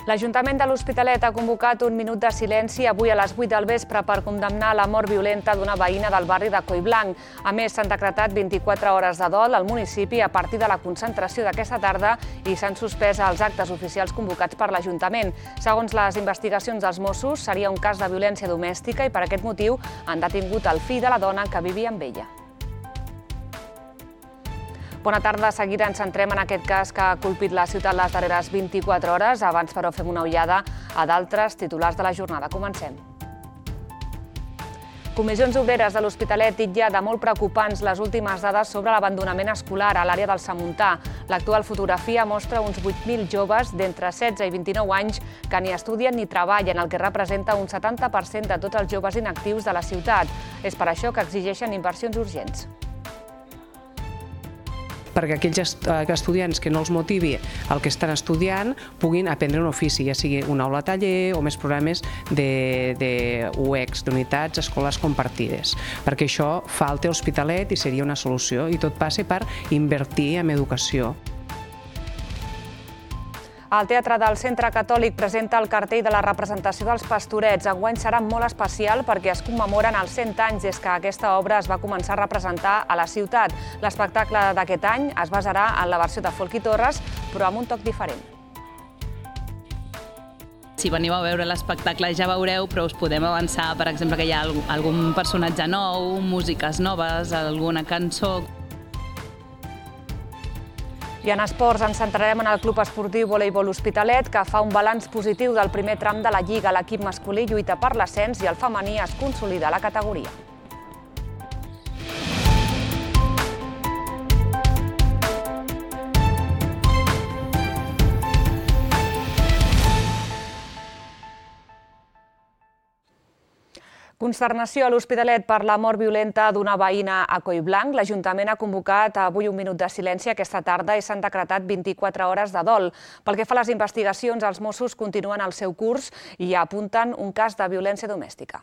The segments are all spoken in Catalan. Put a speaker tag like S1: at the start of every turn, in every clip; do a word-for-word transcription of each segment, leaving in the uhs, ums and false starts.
S1: L'Ajuntament de l'Hospitalet ha convocat un minut de silenci avui a les vuit del vespre per condemnar la mort violenta d'una veïna del barri de Collblanc. A més, s'han decretat vint-i-quatre hores de dol al municipi a partir de la concentració d'aquesta tarda i s'han suspès els actes oficials convocats per l'Ajuntament. Segons les investigacions dels Mossos, seria un cas de violència domèstica i per aquest motiu han detingut el fill de la dona que vivia amb ella. Bona tarda. De seguida ens centrem en aquest cas que ha colpit la ciutat les darreres vint-i-quatre hores. Abans, però, fem una ullada a d'altres titulars de la jornada. Comencem. Comissions Obreres de l'Hospitalet titlla de molt preocupants les últimes dades sobre l'abandonament escolar a l'àrea del Samuntà. L'actual fotografia mostra uns vuit mil joves d'entre setze i vint-i-nou anys que ni estudien ni treballen, el que representa un setanta per cent de tots els joves inactius de la ciutat. És per això que exigeixen inversions urgents.
S2: Perquè aquells estudiants que no els motivi el que estan estudiant puguin aprendre un ofici, ja sigui una aula taller o més programes d'U E X, d'unitats escolars compartides. Perquè això falta a l'Hospitalet i seria una solució, i tot passa per invertir en educació.
S1: El Teatre del Centre Catòlic presenta el cartell de la representació dels Pastorets. Enguany serà molt especial perquè es commemoren els cent anys des que aquesta obra es va començar a representar a la ciutat. L'espectacle d'aquest any es basarà en la versió de Folk i Torres, però amb un toc diferent.
S3: Si veniu a veure l'espectacle ja veureu, però us podem avançar, per exemple, que hi ha algun personatge nou, músiques noves, alguna cançó.
S1: I en esports ens centrarem en el Club Esportiu Voleibol Hospitalet, que fa un balanç positiu del primer tram de la Lliga. L'equip masculí lluita per l'ascens i el femení es consolida a la categoria. Consternació a l'Hospitalet per la mort violenta d'una veïna a Collblanc. L'Ajuntament ha convocat avui un minut de silenci aquesta tarda i s'han decretat vint-i-quatre hores de dol. Pel que fa a les investigacions, els Mossos continuen el seu curs i apunten un cas de violència domèstica.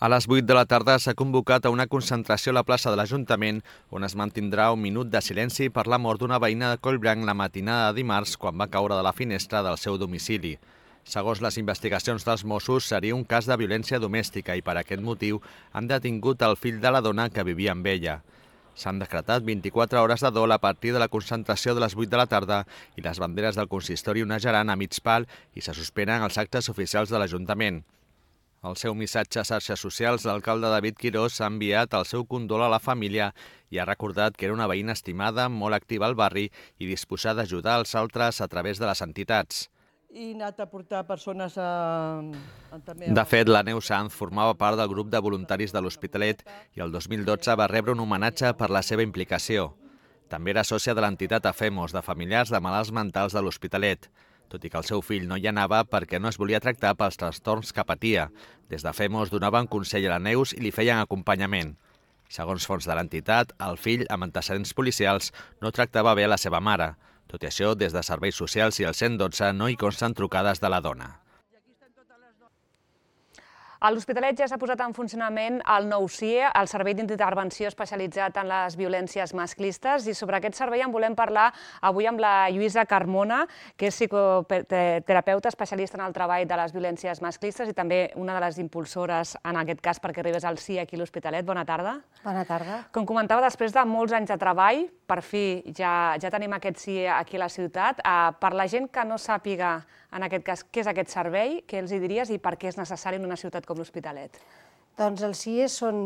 S4: A les vuit de la tarda s'ha convocat a una concentració a la plaça de l'Ajuntament on es mantindrà un minut de silenci per la mort d'una veïna de Collblanc la matinada de dimarts quan va caure de la finestra del seu domicili. Segons les investigacions dels Mossos, seria un cas de violència domèstica i per aquest motiu han detingut el fill de la dona que vivia amb ella. S'han decretat vint-i-quatre hores de dol a partir de la concentració de les vuit de la tarda i les banderes del consistori onejaran a mig pal i se suspenen els actes oficials de l'Ajuntament. Al seu missatge a xarxes socials, l'alcalde David Quirós ha enviat el seu condol a la família i ha recordat que era una veïna estimada, molt activa al barri i disposada a ajudar els altres a través de les entitats.
S5: I anat a portar persones a...
S4: De fet, la Neus Sanz formava part del grup de voluntaris de l'Hospitalet i el dos mil dotze va rebre un homenatge per la seva implicació. També era sòcia de l'entitat AFEMOS, de familiars de malalts mentals de l'Hospitalet, tot i que el seu fill no hi anava perquè no es volia tractar pels trastorns que patia. Des d'AFEMOS donaven consell a la Neus i li feien acompanyament. Segons fons de l'entitat, el fill, amb antecedents policials, no tractava bé a la seva mare. Tot i això, des de Serveis Socials i el cent i dotze no hi consten trucades de la dona.
S1: A l'Hospitalet ja s'ha posat en funcionament el nou S I E, el Servei d'Intervenció Especialitzat en les Violències Masclistes, i sobre aquest servei en volem parlar avui amb la Lluïsa Carmona, que és psicoterapeuta especialista en el treball de les violències masclistes i també una de les impulsores, en aquest cas, perquè arribés al S I E aquí a l'Hospitalet. Bona tarda.
S6: Bona tarda.
S1: Com comentava, després de molts anys de treball, per fi ja tenim aquest S I E aquí a la ciutat. Per la gent que no sàpiga, en aquest cas, què és aquest servei, què els hi diries i per què és necessari en una ciutat com l'Hospitalet?
S6: Doncs els S I E són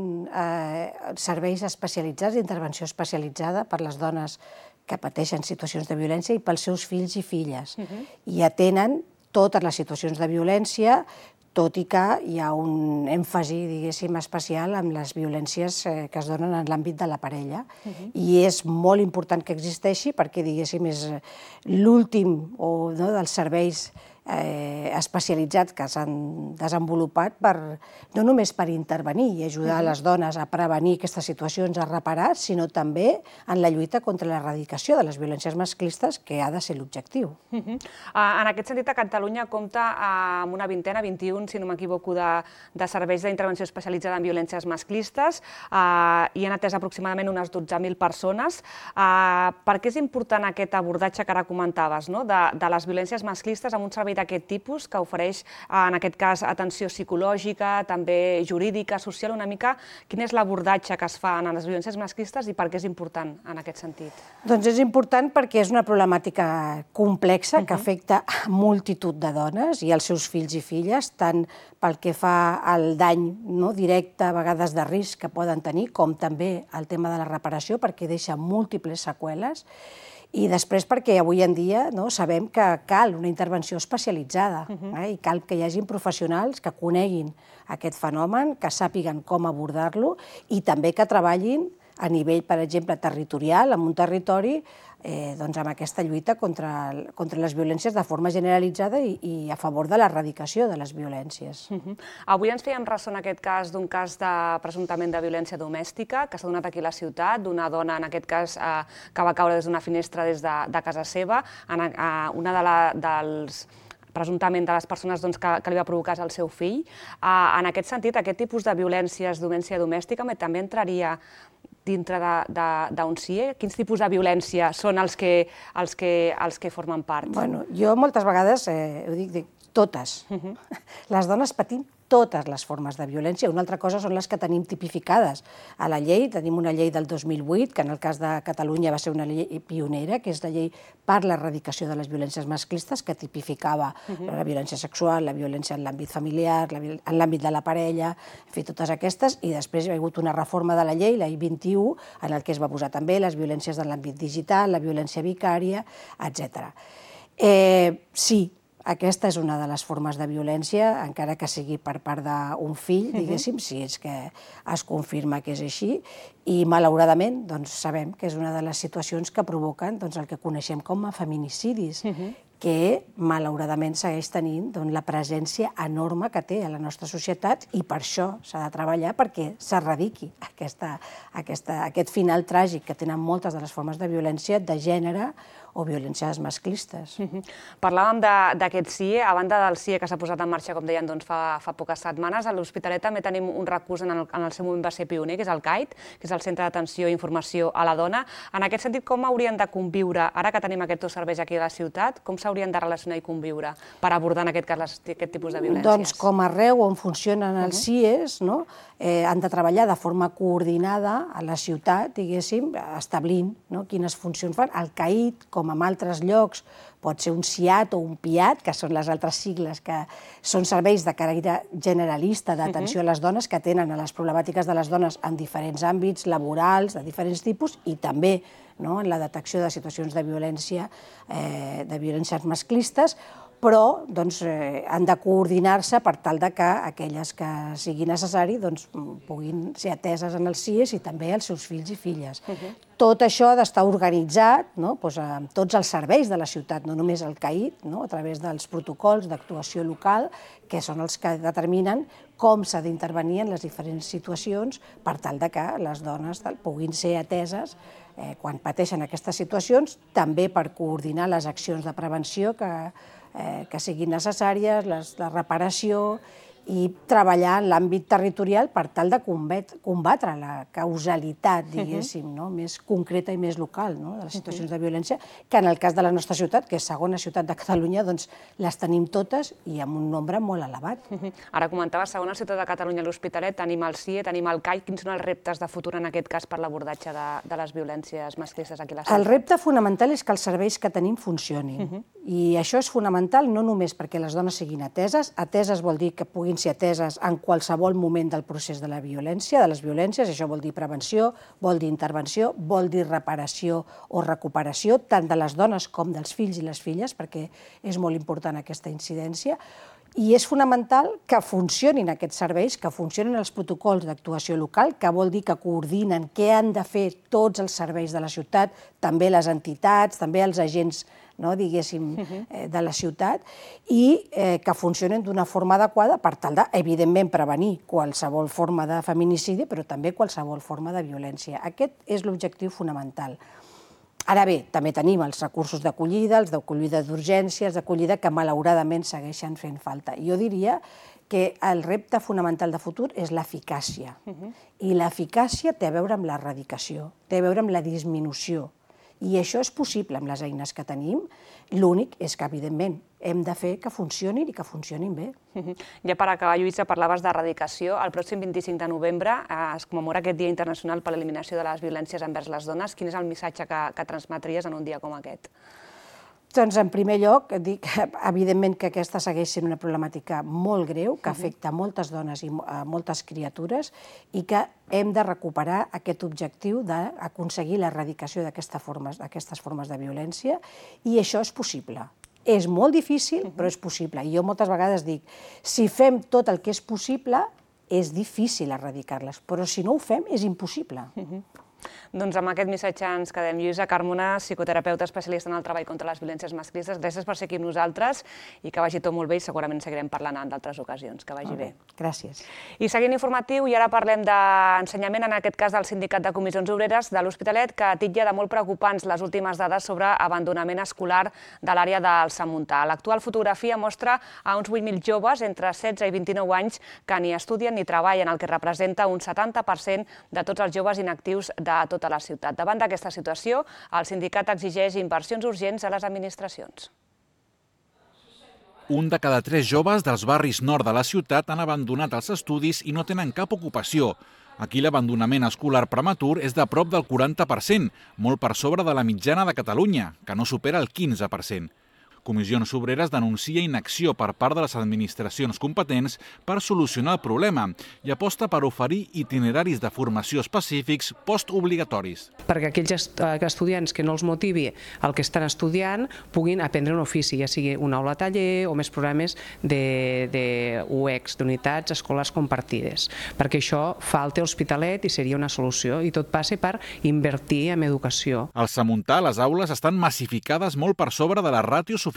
S6: serveis especialitzats, d'intervenció especialitzada per les dones que pateixen situacions de violència i pels seus fills i filles. I atenen totes les situacions de violència, tot i que hi ha un èmfasi, diguéssim, especial amb les violències que es donen en l'àmbit de la parella. I és molt important que existeixi perquè, diguéssim, és l'últim dels serveis eh, especialitzats que s'han desenvolupat per, no només per intervenir i ajudar les dones a prevenir aquestes situacions, a reparar, sinó també en la lluita contra l'erradicació de les violències masclistes, que ha de ser l'objectiu.
S1: Uh -huh. uh, en aquest sentit, a Catalunya compta uh, amb una vintena, vint-i-un, si no m'equivoco, de, de serveis d'intervenció especialitzada en violències masclistes uh, i han atès aproximadament unes dotze mil persones. Uh, per què és important aquest abordatge que ara comentaves, no? de, de les violències masclistes amb un servei d'aquest tipus que ofereix, uh, en aquest cas, atenció psicològica, també jurídica, social, una mica? Quin és l'abordatge que es fa en les violències masclistes i per què és important en aquest sentit?
S6: Doncs és important perquè és una problemàtica complexa que afecta a multitud de dones i als seus fills i filles, tant pel que fa al dany no, directe, a vegades de risc que poden tenir, com també el tema de la reparació, perquè deixa múltiples seqüeles, i després perquè avui en dia no, sabem que cal una intervenció especialitzada eh, i cal que hi hagi professionals que coneguin aquest fenomen, que sàpiguen com abordar-lo i també que treballin a nivell, per exemple, territorial, en un territori, eh, doncs amb aquesta lluita contra, contra les violències de forma generalitzada i, i a favor de l'erradicació de les violències.
S1: Uh -huh. Avui ens fèiem ressò en aquest cas d'un cas de presumptament de violència domèstica que s'ha donat aquí a la ciutat, d'una dona, en aquest cas, eh, que va caure des d'una finestra des de, de casa seva. En, eh, una de la, dels presumptament de les persones doncs, que, que li va provocar el seu fill. Uh, en aquest sentit, aquest tipus de violències, violència domèstica, també entraria dintre d'un C I E? Quins tipus de violència són els que, els que, els que formen part?
S6: Bueno, jo moltes vegades, eh, ho dic, dic totes. Uh-huh. Les dones patim totes les formes de violència. Una altra cosa són les que tenim tipificades a la llei. Tenim una llei del dos mil vuit, que en el cas de Catalunya va ser una llei pionera, que és la llei per l'erradicació de les violències masclistes, que tipificava uh-huh. la violència sexual, la violència en l'àmbit familiar, la, en l'àmbit de la parella, en fi, totes aquestes, i després hi ha hagut una reforma de la llei, la I vint-i-u, en el que es va posar també les violències en l'àmbit digital, la violència vicària, etcètera. Eh, sí, aquesta és una de les formes de violència, encara que sigui per part d'un fill, diguéssim, si és que es confirma que és així, i malauradament doncs, sabem que és una de les situacions que provoquen doncs, el que coneixem com a feminicidis, que malauradament segueix tenint doncs, la presència enorme que té a la nostra societat i per això s'ha de treballar perquè s'erradiqui aquesta, aquesta, aquest final tràgic que tenen moltes de les formes de violència de gènere o violències masclistes.
S1: Uh-huh. Parlàvem d'aquest C I E, a banda del C I E que s'ha posat en marxa, com deien, doncs, fa, fa poques setmanes, a l'Hospitalet també tenim un recurs en el, en el seu moment va ser pioner, que és el C A I T, que és el Centre d'Atenció i Informació a la Dona. En aquest sentit, com haurien de conviure, ara que tenim aquests dos serveis aquí a la ciutat, com s'haurien de relacionar i conviure per abordar en aquest cas les, aquest tipus de violències?
S6: Doncs com arreu on funcionen els C I Es, no? eh, han de treballar de forma coordinada a la ciutat, diguéssim, establint no? quines funcions fan. El C A I T, com en altres llocs, pot ser un C I A T o un P I A T, que són les altres sigles que són serveis de caràcter generalista d'atenció a les dones que tenen a les problemàtiques de les dones en diferents àmbits laborals, de diferents tipus, i també no, en la detecció de situacions de violència, eh, de violències masclistes, però doncs, eh, han de coordinar-se per tal de que aquelles que sigui necessari doncs, puguin ser ateses en els C I Es i també els seus fills i filles. Uh-huh. Tot això ha d'estar organitzat no? doncs, amb tots els serveis de la ciutat, no només el C A I T, no? a través dels protocols d'actuació local, que són els que determinen com s'ha d'intervenir en les diferents situacions per tal de que les dones puguin ser ateses eh, quan pateixen aquestes situacions, també per coordinar les accions de prevenció que Eh, que siguin necessàries, les, la reparació i treballar en l'àmbit territorial per tal de combatre la causalitat, diguéssim, no? més concreta i més local no? de les situacions de violència, que en el cas de la nostra ciutat, que és segona ciutat de Catalunya, doncs les tenim totes i amb un nombre molt elevat.
S1: Ara comentaves, segona ciutat de Catalunya, l'Hospitalet, tenim el C I E, tenim el C A I T. Quins són els reptes de futur en aquest cas per l'abordatge de, de les violències masclistes aquí a la ciutat?
S6: El repte fonamental és que els serveis que tenim funcionin. Uh-huh. I això és fonamental no només perquè les dones siguin ateses, ateses vol dir que puguin ser ateses en qualsevol moment del procés de la violència, de les violències, això vol dir prevenció, vol dir intervenció, vol dir reparació o recuperació, tant de les dones com dels fills i les filles, perquè és molt important aquesta incidència, I és fonamental que funcionin aquests serveis, que funcionin els protocols d'actuació local, que vol dir que coordinen què han de fer tots els serveis de la ciutat, també les entitats, també els agents, no, diguéssim, de la ciutat, i eh, que funcionin d'una forma adequada per tal de, evidentment, prevenir qualsevol forma de feminicidi, però també qualsevol forma de violència. Aquest és l'objectiu fonamental. Ara bé, també tenim els recursos d'acollida, els d'acollida d'urgència, els d'acollida que malauradament segueixen fent falta. Jo diria que el repte fonamental de futur és l'eficàcia. I l'eficàcia té a veure amb l'erradicació, té a veure amb la disminució. I això és possible amb les eines que tenim. L'únic és que, evidentment, hem de fer que funcionin i que funcionin bé.
S1: Ja per acabar, Lluïsa, parlaves d'erradicació. El pròxim vint-i-cinc de novembre es commemora aquest Dia Internacional per l'Eliminació de les Violències envers les Dones. Quin és el missatge que, que transmetries en un dia com aquest?
S6: Doncs, en primer lloc, dic, evidentment que aquesta segueix sent una problemàtica molt greu, que afecta moltes dones i moltes criatures, i que hem de recuperar aquest objectiu d'aconseguir l'erradicació d'aquestes formes, d'aquestes formes de violència, i això és possible. És molt difícil, però és possible. I jo moltes vegades dic, si fem tot el que és possible, és difícil erradicar-les, però si no ho fem, és impossible.
S1: Doncs amb aquest missatge ens quedem. Lluïsa Carmona, psicoterapeuta especialista en el treball contra les violències masclistes, gràcies per ser aquí amb nosaltres i que vagi tot molt bé i segurament seguirem parlant en d'altres ocasions. Que vagi bé.
S6: Gràcies.
S1: I seguint informatiu, i ara parlem d'ensenyament, en aquest cas del Sindicat de Comissions Obreres de l'Hospitalet, que titlla de molt preocupants les últimes dades sobre abandonament escolar de l'àrea del Samuntà. L'actual fotografia mostra a uns vuit mil joves entre setze i vint-i-nou anys que ni estudien ni treballen, el que representa un setanta per cent de tots els joves inactius de tota la ciutat. Davant d'aquesta situació, el sindicat exigeix inversions urgents a les administracions.
S7: Un de cada tres joves dels barris nord de la ciutat han abandonat els estudis i no tenen cap ocupació. Aquí l'abandonament escolar prematur és de prop del quaranta per cent, molt per sobre de la mitjana de Catalunya, que no supera el quinze per cent. Comissions Obreres denuncia inacció per part de les administracions competents per solucionar el problema i aposta per oferir itineraris de formació específics postobligatoris.
S2: Perquè aquells estudiants que no els motivi el que estan estudiant puguin aprendre un ofici, ja sigui una aula taller o més programes d'U E X, d'unitats escolars compartides. Perquè això falta a l'Hospitalet i seria una solució, i tot passa per invertir en educació.
S7: Al Samuntà, les aules estan massificades molt per sobre de les ràtios oficials.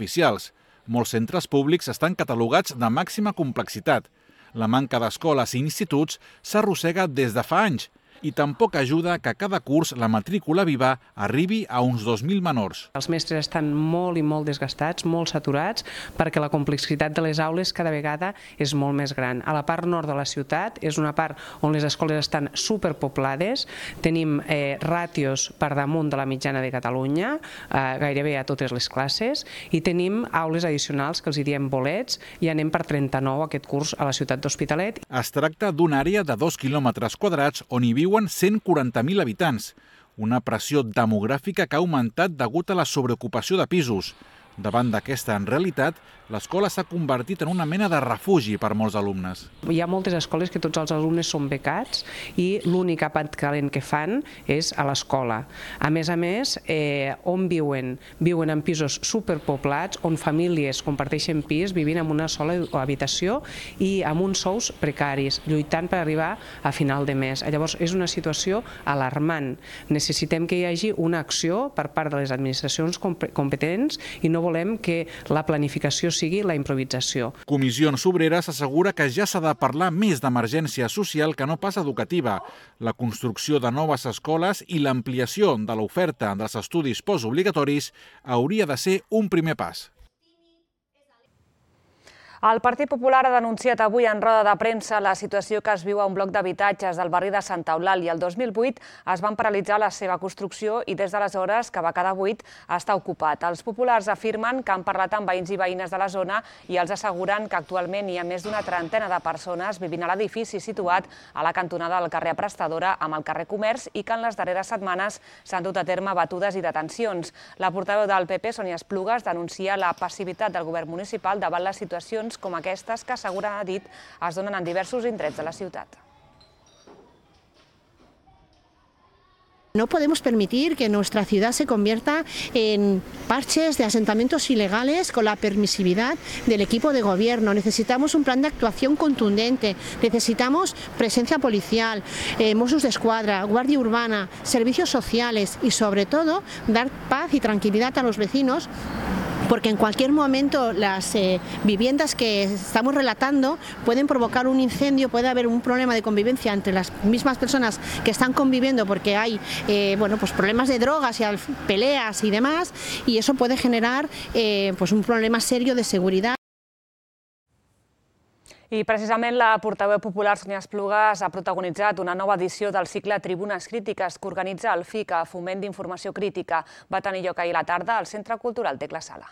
S7: Molts centres públics estan catalogats de màxima complexitat. La manca d'escoles i instituts s'arrossega des de fa anys i tampoc ajuda que cada curs la matrícula viva arribi a uns dos mil menors.
S2: Els mestres estan molt i molt desgastats, molt saturats, perquè la complexitat de les aules cada vegada és molt més gran. A la part nord de la ciutat és una part on les escoles estan superpoblades, tenim eh, ràtios per damunt de la mitjana de Catalunya, eh, gairebé a totes les classes, i tenim aules addicionals que els hi diem bolets, i anem per trenta-nou aquest curs a la ciutat d'Hospitalet.
S7: Es tracta d'una àrea de dos quilòmetres quadrats on hi viu cent quaranta mil habitants, una pressió demogràfica que ha augmentat degut a la sobreocupació de pisos. Davant d'aquesta realitat, l'escola s'ha convertit en una mena de refugi per molts alumnes.
S2: Hi ha moltes escoles que tots els alumnes són becats i l'únic àpat calent que fan és a l'escola. A més a més, eh, on viuen? Viuen en pisos superpoblats, on famílies comparteixen pis, vivint en una sola habitació i amb uns sous precaris, lluitant per arribar a final de mes. Llavors, és una situació alarmant. Necessitem que hi hagi una acció per part de les administracions competents i no volem que la planificació sigui la improvisació.
S7: Comissions Obreres assegura que ja s'ha de parlar més d'emergència social que no pas educativa. La construcció de noves escoles i l'ampliació de l'oferta dels estudis postobligatoris hauria de ser un primer pas.
S1: El Partit Popular ha denunciat avui en roda de premsa la situació que es viu a un bloc d'habitatges del barri de Santa Eulàlia. El dos mil vuit es van paralitzar la seva construcció i des d'aleshores, que va quedar buit, està ocupat. Els populars afirmen que han parlat amb veïns i veïnes de la zona i els asseguren que actualment hi ha més d'una trentena de persones vivint a l'edifici situat a la cantonada del carrer Prestadora amb el carrer Comerç i que en les darreres setmanes s'han dut a terme batudes i detencions. La portaveu del P P, Sònia Esplugues, denuncia la passivitat del govern municipal davant les situacions com aquestes que, assegura, ha dit, es donen en diversos indrets de la ciutat.
S8: No podemos permitir que nuestra ciudad se convierta en parches de asentamientos ilegales con la permisividad del equipo de gobierno. Necesitamos un plan de actuación contundente, necesitamos presencia policial, eh, Mossos d'Esquadra, Guardia Urbana, servicios sociales y sobre todo dar paz y tranquilidad a los vecinos, porque en cualquier momento las eh, viviendas que estamos relatando pueden provocar un incendio, puede haber un problema de convivencia entre las mismas personas que están conviviendo porque hay eh, bueno, pues problemas de drogas y peleas y demás, y eso puede generar eh, pues un problema serio de seguridad.
S1: I precisament la portaveu popular Sònia Esplugas ha protagonitzat una nova edició del cicle Tribunes Crítiques que organitza el F I C a Foment d'Informació Crítica. Va tenir lloc ahir a la tarda al Centre Cultural Tecla Sala.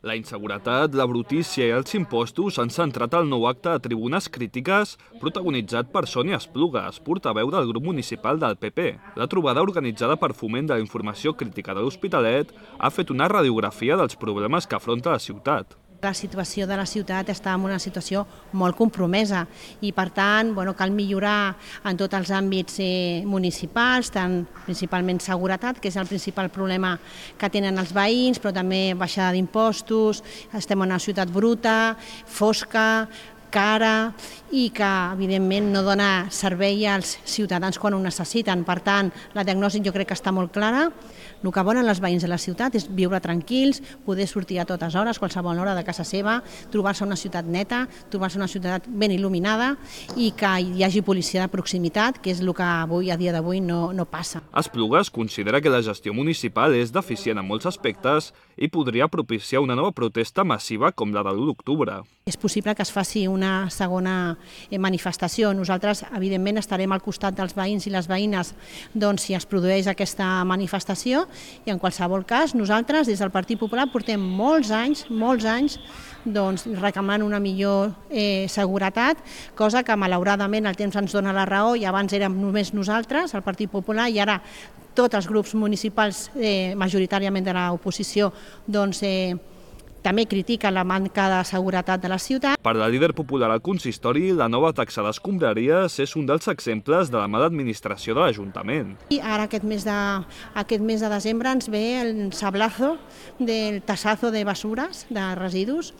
S9: La inseguretat, la brutícia i els impostos han centrat el nou acte de Tribunes Crítiques protagonitzat per Sònia Esplugas, portaveu del grup municipal del P P. La trobada organitzada per Foment de la Informació Crítica de l'Hospitalet ha fet una radiografia dels problemes que afronta la ciutat.
S8: La situació de la ciutat està en una situació molt compromesa i, per tant, bueno, cal millorar en tots els àmbits eh, municipals, tant principalment seguretat, que és el principal problema que tenen els veïns, però també baixada d'impostos, estem en una ciutat bruta, fosca, cara i que, evidentment, no dona servei als ciutadans quan ho necessiten. Per tant, la diagnosi jo crec que està molt clara. El que volen els veïns de la ciutat és viure tranquils, poder sortir a totes hores, qualsevol hora de casa seva, trobar-se una ciutat neta, trobar-se una ciutat ben il·luminada i que hi hagi policia de proximitat, que és el que avui, a dia d'avui, no, no passa.
S9: Esplugas considera que la gestió municipal és deficient en molts aspectes i podria propiciar una nova protesta massiva com la de l'u d'octubre.
S8: És possible que es faci una segona manifestació. Nosaltres, evidentment, estarem al costat dels veïns i les veïnes doncs, si es produeix aquesta manifestació, i en qualsevol cas nosaltres des del Partit Popular portem molts anys, molts anys doncs, reclamant una millor eh, seguretat, cosa que malauradament el temps ens dona la raó i abans érem només nosaltres, el Partit Popular, i ara tots els grups municipals, eh, majoritàriament de l'oposició, doncs, eh, també critica la manca de seguretat de la ciutat.
S9: Per la líder popular al consistori, la nova taxa d'escombraries és un dels exemples de la mala administració de l'Ajuntament.
S8: I ara aquest mes, de, aquest mes de desembre ens ve el sablazo del tassazo de basures, de residus,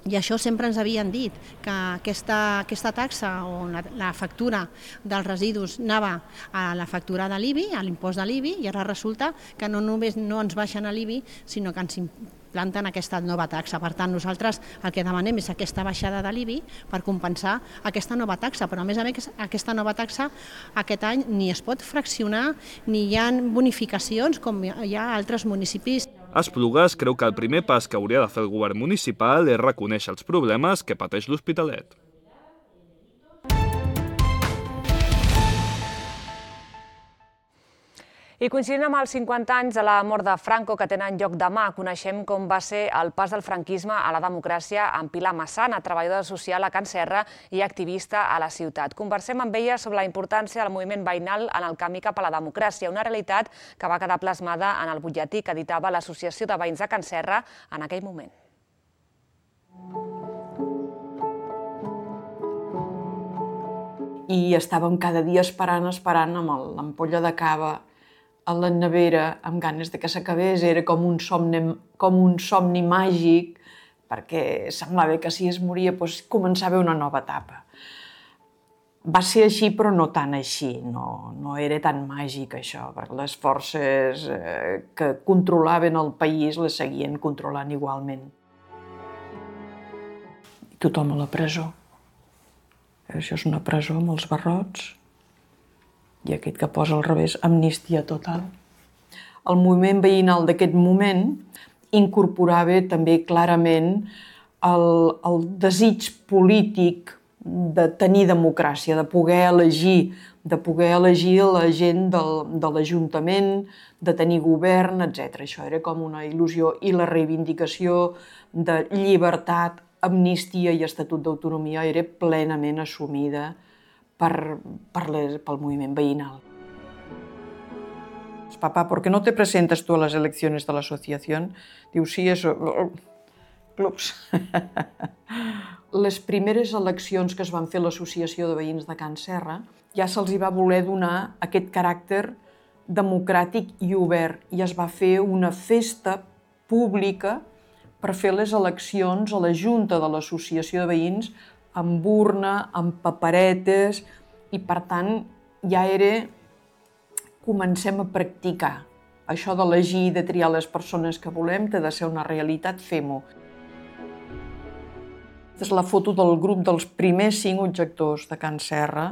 S8: i això sempre ens havien dit, que aquesta, aquesta taxa o la, la factura dels residus anava a la factura de l'I B I, a l'impost de l'I B I, i ara resulta que no només no ens baixen a l'I B I, sinó que ens implanten aquesta nova taxa. Per tant, nosaltres el que demanem és aquesta baixada de l'I B I per compensar aquesta nova taxa, però a més a més aquesta nova taxa aquest any ni es pot fraccionar ni hi ha bonificacions com hi ha a altres municipis.
S9: Esplugas creu que el primer pas que hauria de fer el govern municipal és reconèixer els problemes que pateix l'Hospitalet.
S1: I coincidint amb els cinquanta anys de la mort de Franco que tenen lloc demà, coneixem com va ser el pas del franquisme a la democràcia amb Pilar Massana, treballadora social a Can Serra i activista a la ciutat. Conversem amb ella sobre la importància del moviment veïnal en el camí cap a la democràcia, una realitat que va quedar plasmada en el butlletí que editava l'Associació de Veïns de Can Serra en aquell moment.
S10: I estàvem cada dia esperant, esperant amb l'ampolla de cava a la nevera, amb ganes de que s'acabés, era com un somni, com un somni màgic, perquè semblava que si es moria doncs, començava una nova etapa. Va ser així, però no tan així, no, no era tan màgic això, perquè les forces eh, que controlaven el país les seguien controlant igualment. Tothom a la presó. Això és una presó amb els barrots. I aquest que posa al revés, amnistia total. El moviment veïnal d'aquest moment incorporava també clarament el, el desig polític de tenir democràcia, de poder elegir, de poder elegir la gent del, de l'Ajuntament, de tenir govern, etcètera. Això era com una il·lusió i la reivindicació de llibertat, amnistia i estatut d'autonomia era plenament assumida per, per les, pel moviment veïnal. Papá, ¿por qué no te presentas tú a las elecciones de la asociación? Diu, sí, eso... clubs. Les primeres eleccions que es van fer a l'Associació de Veïns de Can Serra ja se'ls hi va voler donar aquest caràcter democràtic i obert i es va fer una festa pública per fer les eleccions a la Junta de l'Associació de Veïns amb urna, amb paperetes i per tant ja era... comencem a practicar. Això d'elegir i de triar les persones que volem té de ser una realitat, fem-ho. Aquesta és la foto del grup dels primers cinc objectors de Can Serra.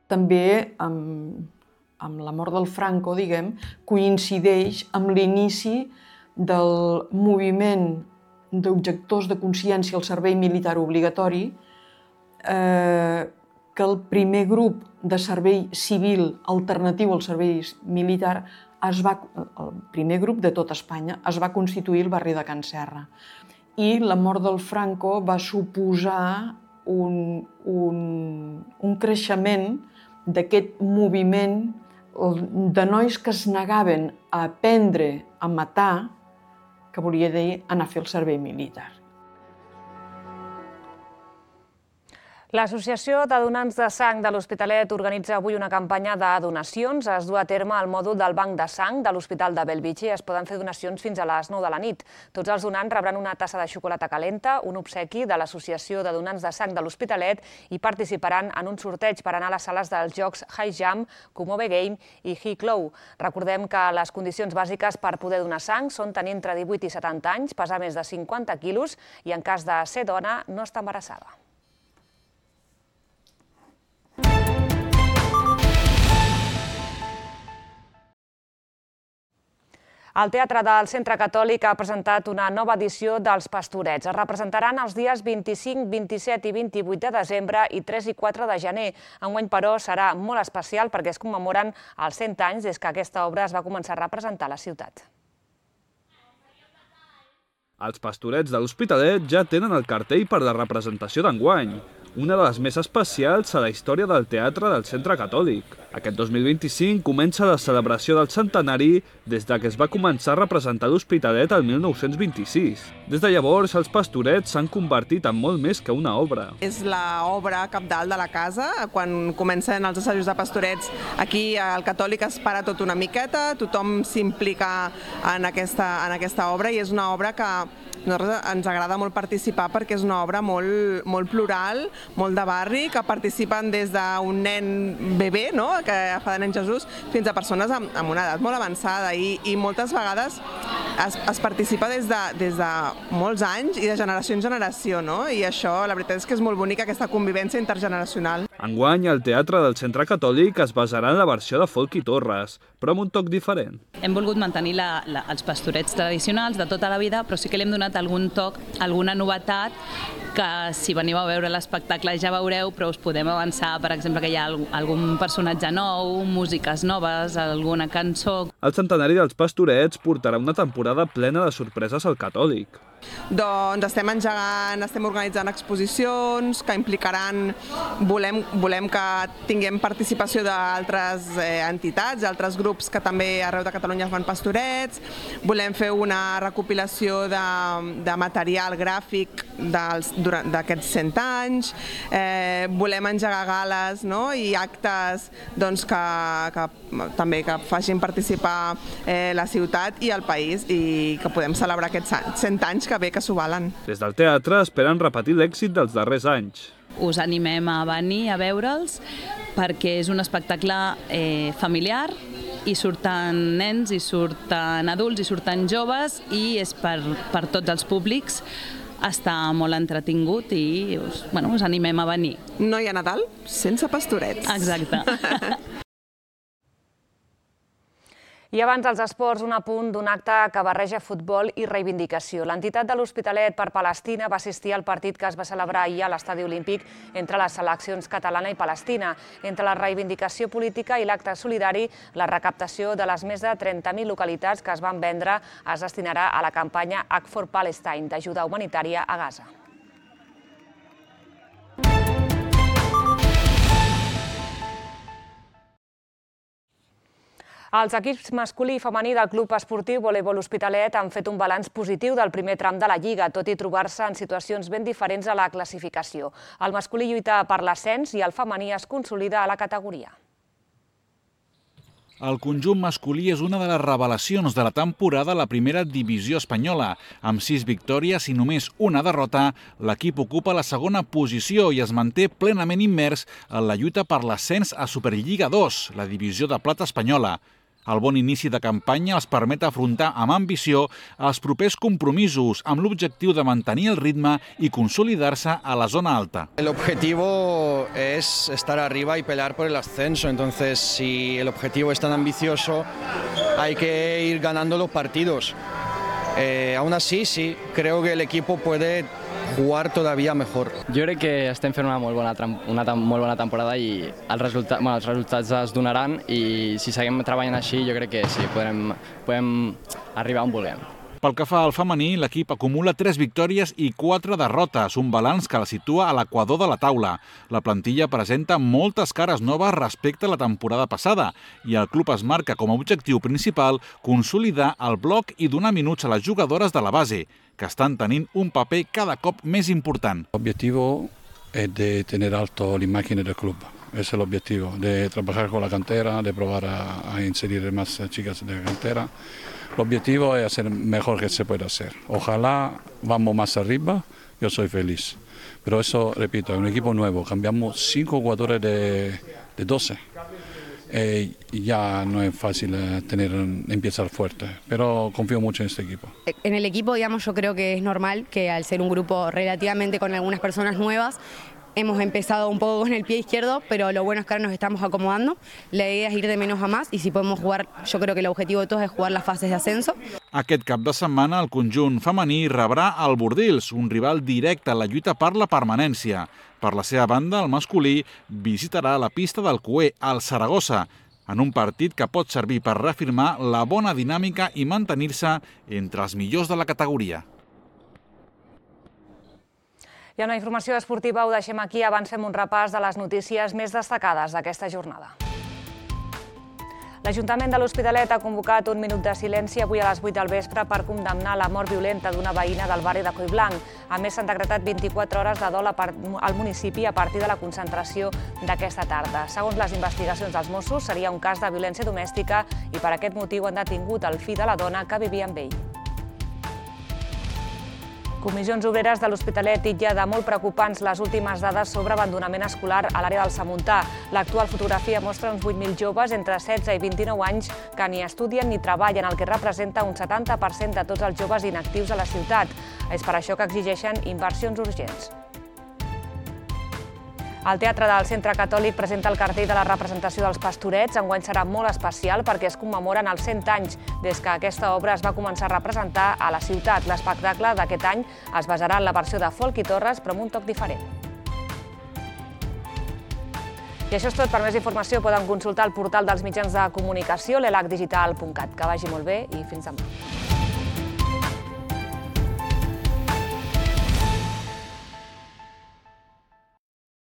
S10: També amb, amb la mort del Franco, diguem, coincideix amb l'inici del moviment d'objectors de consciència al servei militar obligatori, eh, que el primer grup de servei civil alternatiu al servei militar, es va, el primer grup de tot Espanya, es va constituir al barri de Can Serra. I la mort del Franco va suposar un, un, un creixement d'aquest moviment de nois que es negaven a aprendre a matar, que volia dir anar a fer el servei militar.
S1: L'Associació de Donants de Sang de l'Hospitalet organitza avui una campanya de donacions. Es du a terme al mòdul del Banc de Sang de l'Hospital de Bellvitge i es poden fer donacions fins a les nou de la nit. Tots els donants rebran una tassa de xocolata calenta, un obsequi de l'Associació de Donants de Sang de l'Hospitalet i participaran en un sorteig per anar a les sales dels jocs High Jump, Kumove Game i High Low. Recordem que les condicions bàsiques per poder donar sang són tenir entre divuit i setanta anys, pesar més de cinquanta quilos i, en cas de ser dona, no estar embarassada. El Teatre del Centre Catòlic ha presentat una nova edició dels Pastorets. Es representaran els dies vint-i-cinc, vint-i-set i vint-i-vuit de desembre i tres i quatre de gener. Enguany, però, serà molt especial perquè es commemoren els cent anys des que aquesta obra es va començar a representar a la ciutat.
S9: Els Pastorets de l'Hospitalet ja tenen el cartell per la representació d'enguany, una de les més especials a la història del Teatre del Centre Catòlic. Aquest dos mil vint-i-cinc comença la celebració del centenari des que es va començar a representar l'Hospitalet el mil nou-cents vint-i-sis. Des de llavors, els Pastorets s'han convertit en molt més que una obra.
S11: És l'obra cabdal de la casa. Quan comencen els assajos de Pastorets, aquí al Catòlic es para tot una miqueta, tothom s'implica en aquesta, en aquesta obra i és una obra que a nosaltres ens agrada molt participar perquè és una obra molt, molt plural, molt de barri, que participen des d'un nen bebè, no?, que fa de nen Jesús, fins a persones amb, amb una edat molt avançada i, i moltes vegades es, es participa des de, des de molts anys i de generació en generació, no? I això, la veritat és que és molt bonica aquesta convivència intergeneracional.
S9: Enguany, el Teatre del Centre Catòlic es basarà en la versió de Folk i Torres, però amb un toc diferent.
S3: Hem volgut mantenir la, la, els pastorets tradicionals de tota la vida, però sí que li hem donat algun toc, alguna novetat, que si veniu a veure l'espectacle ja veureu, però us podem avançar, per exemple, que hi ha algun personatge nou, músiques noves, alguna cançó.
S9: El centenari dels Pastorets portarà una temporada plena de sorpreses al Catòlic.
S11: Doncs estem engegant, estem organitzant exposicions que implicaran, volem, volem que tinguem participació d'altres eh, entitats, d'altres grups que també arreu de Catalunya fan pastorets, volem fer una recopilació de, de material gràfic d'aquests cent anys, eh, volem engegar gales, no?, i actes doncs, que, que també que facin participar eh, la ciutat i el país i que podem celebrar aquests cent anys que bé que s'ho valen.
S9: Des del teatre esperen repetir l'èxit dels darrers anys.
S3: Us animem a venir a veure'ls perquè és un espectacle eh, familiar i surten nens, i surten adults, i surten joves i és per, per tots els públics. Està molt entretingut i us, bueno, us animem a venir.
S11: No hi ha Nadal sense pastorets.
S3: Exacte.
S1: I abans dels esports, un apunt d'un acte que barreja futbol i reivindicació. L'entitat de l'Hospitalet per Palestina va assistir al partit que es va celebrar ahir a l'Estadi Olímpic entre les seleccions catalana i palestina. Entre la reivindicació política i l'acte solidari, la recaptació de les més de trenta mil localitats que es van vendre es destinarà a la campanya Act for Palestine d'ajuda humanitària a Gaza. Els equips masculí i femení del Club Esportiu Voleibol Hospitalet han fet un balanç positiu del primer tram de la Lliga, tot i trobar-se en situacions ben diferents a la classificació. El masculí lluita per l'ascens i el femení es consolida a la categoria.
S7: El conjunt masculí és una de les revelacions de la temporada a la primera divisió espanyola. Amb sis victòries i només una derrota, l'equip ocupa la segona posició i es manté plenament immers en la lluita per l'ascens a Superliga dos, la divisió de plata espanyola. El bon inici de campanya els permet afrontar amb ambició els propers compromisos amb l'objectiu de mantenir el ritme i consolidar-se a la zona alta.
S12: El objetivo es estar arriba y pelear por el ascenso, entonces si el objetivo es tan ambicioso hay que ir ganando los partidos. Eh, aún así, sí, creo que el equipo puede jugar todavía mejor.
S13: Jo crec que estem fent una molt bona, una molt bona temporada i els resultats, bueno, els resultats es donaran i si seguim treballant així jo crec que sí, podrem, podem arribar on vulguem.
S7: Pel que fa al femení, l'equip acumula tres victòries i quatre derrotes, un balanç que la situa a l'equador de la taula. La plantilla presenta moltes cares noves respecte a la temporada passada i el club es marca com a objectiu principal consolidar el bloc i donar minuts a les jugadores de la base, que estan tenint un paper cada cop més important.
S14: L'objectiu és de tenir alto la imagen del club. Ese es el objetivo, de trabajar con la cantera, de probar a, a inserir más chicas de la cantera. El objetivo es hacer mejor que se pueda hacer. Ojalá vamos más arriba, yo soy feliz. Pero eso, repito, es un equipo nuevo, cambiamos cinco jugadores de, de doce. Eh, ya no es fácil tener, empezar fuerte, pero confío mucho en este equipo.
S15: En el equipo, digamos, yo creo que es normal que al ser un grupo relativamente con algunas personas nuevas, hemos empezado un poco con el pie izquierdo, pero lo bueno es que ahora nos estamos acomodando. La idea es ir de menos a más y si podemos jugar, yo creo que el objetivo de todos es jugar las fases de ascenso.
S7: Aquest cap de setmana el conjunt femení rebrà el Bordils, un rival directe en la lluita per la permanència. Per la seva banda, el masculí visitarà la pista del Cué, al Saragossa, en un partit que pot servir per reafirmar la bona dinàmica i mantenir-se entre els millors de la categoria.
S1: I amb la informació esportiva ho deixem aquí, abans fem un repàs de les notícies més destacades d'aquesta jornada. L'Ajuntament de l'Hospitalet ha convocat un minut de silenci avui a les vuit del vespre per condemnar la mort violenta d'una veïna del barri de Collblanc. A més, s'han decretat vint-i-quatre hores de dol al municipi a partir de la concentració d'aquesta tarda. Segons les investigacions dels Mossos, seria un cas de violència domèstica i per aquest motiu han detingut el fill de la dona que vivia amb ell. Comissions Obreres de l'Hospitalet titlla de molt preocupants les últimes dades sobre abandonament escolar a l'àrea del Samuntà. L'actual fotografia mostra uns vuit mil joves entre setze i vint-i-nou anys que ni estudien ni treballen, el que representa un setanta per cent de tots els joves inactius a la ciutat. És per això que exigeixen inversions urgents. El Teatre del Centre Catòlic presenta el cartell de la representació dels Pastorets. Enguany serà molt especial perquè es commemoren els cent anys des que aquesta obra es va començar a representar a la ciutat. L'espectacle d'aquest any es basarà en la versió de Folk i Torres, però amb un toc diferent. I això és tot. Per més informació poden consultar el portal dels mitjans de comunicació, l'elac digital punt cat. Que vagi molt bé i fins demà.